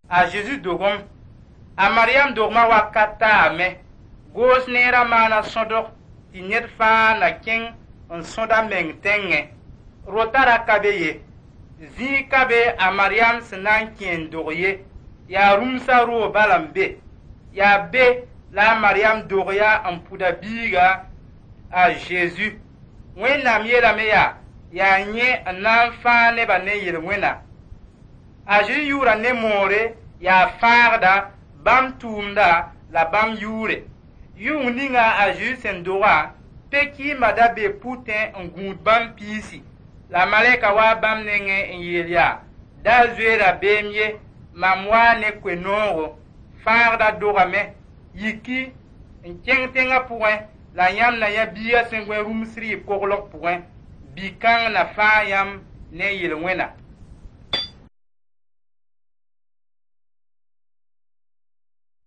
A Zezi dogem, a Mariam dogmã wakat taame. Goos neerã maana sõdg tɩ ned fãa na kẽng n sõd a meng tẽngẽ. Rota ra ka be ye. Zĩig ka be a Mariam sẽn na n kẽ n dog ye. Yaa rũmsã roog bala n be. Yaa be la a Mariam dog ya n pʋd a biiga a Zeezi. Wẽnnaam yeelame yaa, yaa yẽ n na n fãag nebã ne yel-wẽna. A Zezi yʋʋra ne moore yaa fãagda, bãmb tʋʋmda la bãmb yʋʋre. Yʋng ninga a Zezi sẽn doga, pe-kɩɩmbã da bee pʋtẽ n gũud bãmb piisi. La malɛka waa bãmb nengẽ n yeel yaa: da zoe rabeem ye, mam waa ne koe-noogo, fãagda dogame, yiki n kẽng tẽngã pʋgẽ la yãmb na yã biigã sẽn gõe rũms rɩɩb koglg pʋgẽ. Bi-kãng na fãag yãmb ne yel-wẽna.